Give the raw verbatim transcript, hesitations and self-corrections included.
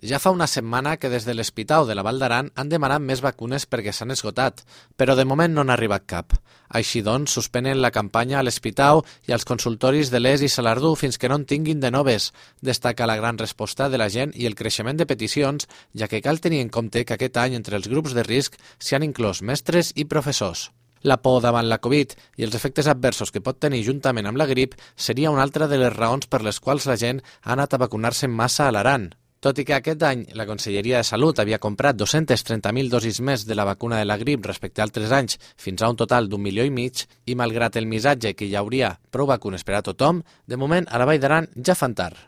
Ja fa una setmana que des de l'Hospital de la Vall d'Aran han demanat més vacunes perquè s'han esgotat, però de moment no n'ha arribat cap. Així doncs, suspenen la campanya a l'Hospital i als consultoris de l'Es i Salardú fins que no en tinguin de noves. Destaca la gran resposta de la gent i el creixement de peticions, ja que cal tenir en compte que aquest any entre els grups de risc s'hi han inclòs mestres i professors. La por davant la Covid i els efectes adversos que pot tenir juntament amb la grip seria una altra de les raons per les quals la gent ha anat a vacunar-se en massa a l'Aran. Tot i que aquest any la Conselleria de Salut havia comprat dos-centes trenta mil dosis més de la vacuna de la grip respecte a altres anys, fins a un total d'un milió i mig, i malgrat el missatge que hi hauria prou vacunes per a tothom, de moment a la Vall d'Aran ja fan tard.